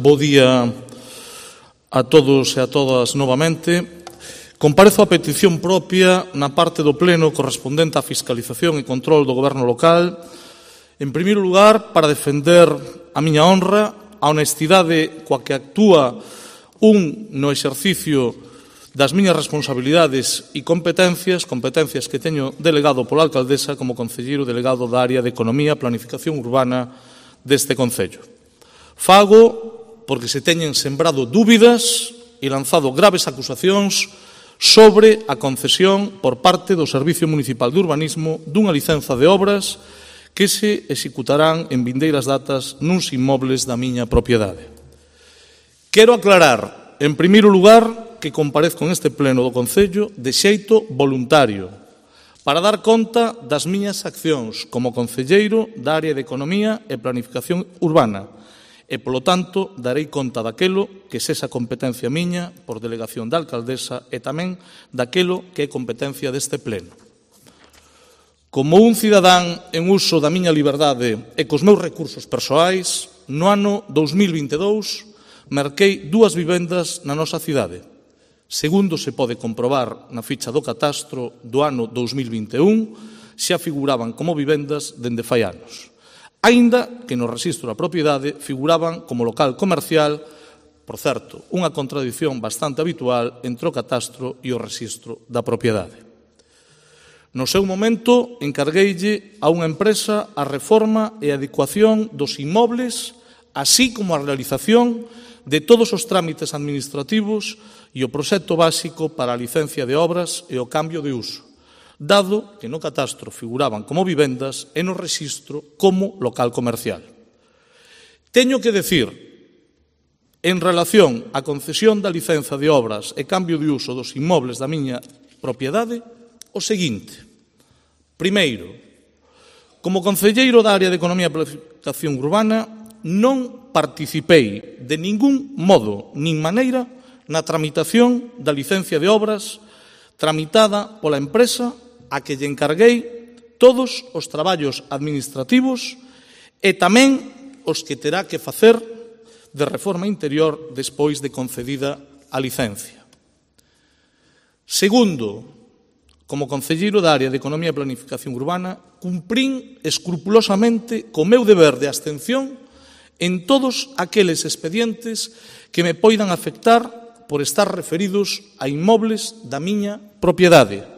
Bo día a todos e a todas novamente. Comparezo a petición propia na parte do pleno correspondente á fiscalización e control do goberno local, en primeiro lugar, para defender a miña honra, a honestidade coa que actúa no exercicio das miñas responsabilidades e competencias que teño delegado pola alcaldesa como concelleiro delegado da área de Economía e Planificación Urbana deste concello. Fago porque se teñen sembrado dúbidas e lanzado graves acusacións sobre a concesión por parte do Servicio Municipal de Urbanismo dunha licenza de obras que se executarán en vindeiras datas nuns inmobles da miña propiedade. Quero aclarar, en primeiro lugar, que comparezco neste pleno do Concello de xeito voluntario para dar conta das miñas accións como concelleiro da área de Economía e Planificación Urbana e, polo tanto, darei conta daquelo que sexa competencia miña por delegación da alcaldesa e tamén daquelo que é competencia deste pleno. Como un cidadán en uso da miña liberdade e cos meus recursos persoais, no ano 2022 merquei 2 vivendas na nosa cidade. Segundo se pode comprobar na ficha do catastro do ano 2021, xa figuraban como vivendas dende fai anos. Aínda que no rexistro da propiedade figuraban como local comercial, por certo, unha contradición bastante habitual entre o catastro e o rexistro da propiedade. No seu momento, encargueille a unha empresa a reforma e adecuación dos inmobles, así como a realización de todos os trámites administrativos e o proxecto básico para a licencia de obras e o cambio de uso, dado que no catastro figuraban como vivendas e no rexistro como local comercial. Teño que decir, en relación á concesión da licenza de obras e cambio de uso dos inmobles da miña propiedade, o seguinte. Primeiro, como concelleiro da área de Economía e Planificación Urbana, non participei de ningún modo nin maneira na tramitación da licencia de obras tramitada pola empresa a que lle encarguei todos os traballos administrativos e tamén os que terá que facer de reforma interior despois de concedida a licencia. Segundo, como concelleiro da área de Economía e Planificación Urbana, cumprín escrupulosamente co meu deber de abstención en todos aqueles expedientes que me poidan afectar por estar referidos a inmobles da miña propiedade,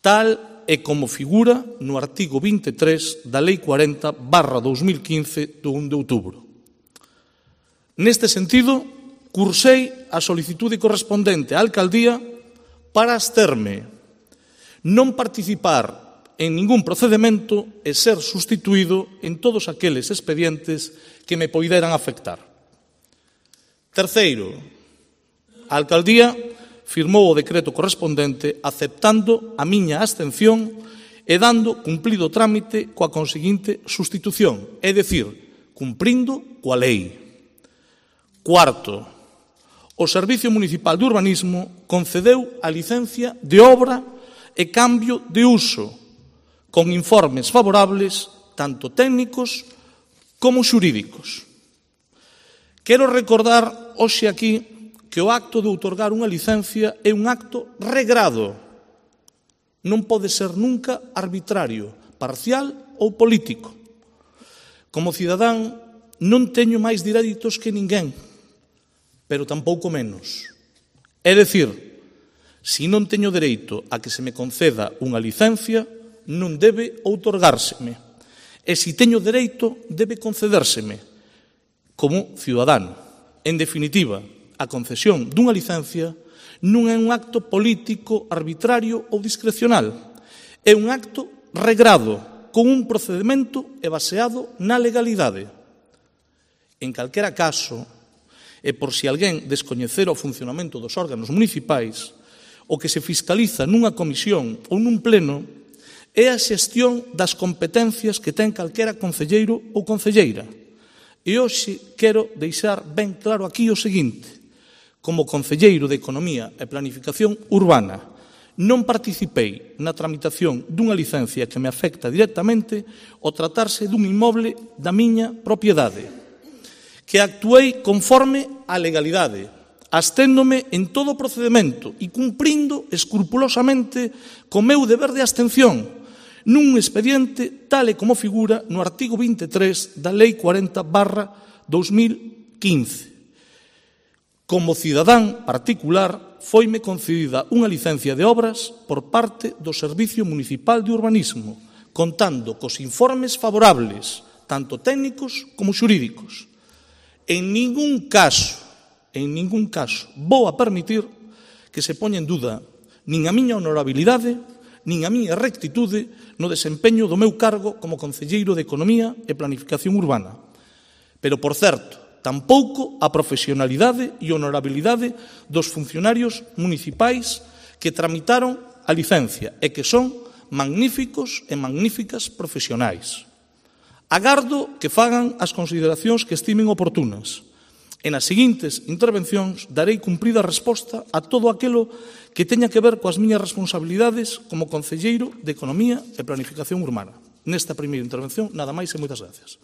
tal e como figura no artigo 23 da Lei 40/2015 do 1 de outubro. Neste sentido, cursei a solicitude correspondente á alcaldía para absterme, non participar en ningún procedemento e ser sustituído en todos aqueles expedientes que me poideran afectar. Terceiro, a alcaldía firmou o decreto correspondente aceptando a miña abstención e dando cumplido o trámite coa conseguinte sustitución, é dicir, cumprindo coa lei. Cuarto, o Servicio Municipal de Urbanismo concedeu a licencia de obra e cambio de uso, con informes favorables, tanto técnicos como xurídicos. Quero recordar hoxe aquí que o acto de outorgar unha licencia é un acto regrado. Non pode ser nunca arbitrario, parcial ou político. Como cidadán non teño máis dereitos que ninguén, pero tampouco menos. É dicir, se non teño dereito a que se me conceda unha licencia, non debe outorgárseme. E se teño dereito, debe concedérseme como cidadano. En definitiva, a concesión dunha licencia non é un acto político, arbitrario ou discrecional. É un acto regrado, con un procedimento e baseado na legalidade. En calquera caso, e por si alguén descoñecera o funcionamento dos órganos municipais, o que se fiscaliza nunha comisión ou nun pleno é a xestión das competencias que ten calquera concelleiro ou concelleira. E hoxe quero deixar ben claro aquí o seguinte. Como concelleiro de Economía e Planificación Urbana, non participei na tramitación dunha licencia que me afecta directamente ao tratarse dun inmoble da miña propiedade, que actuei conforme á legalidade, absténdome en todo o procedimento e cumprindo escrupulosamente co meu deber de abstención nun expediente tal e como figura no artigo 23 da Lei 40/2015. Como cidadán particular, foime concedida unha licencia de obras por parte do Servicio Municipal de Urbanismo, contando cos informes favorables, tanto técnicos como xurídicos. En ningún caso, vou a permitir que se poña en duda nin a miña honorabilidade, nin a miña rectitude no desempeño do meu cargo como concelleiro de Economía e Planificación Urbana. Pero, por certo, tampouco a profesionalidade e honorabilidade dos funcionarios municipais que tramitaron a licencia e que son magníficos e magníficas profesionais. Agardo que fagan as consideracións que estimen oportunas. E nas seguintes intervencións darei cumprida resposta a todo aquilo que teña que ver coas miñas responsabilidades como concelleiro de Economía e Planificación Urbana. Nesta primeira intervención, nada máis e moitas gracias.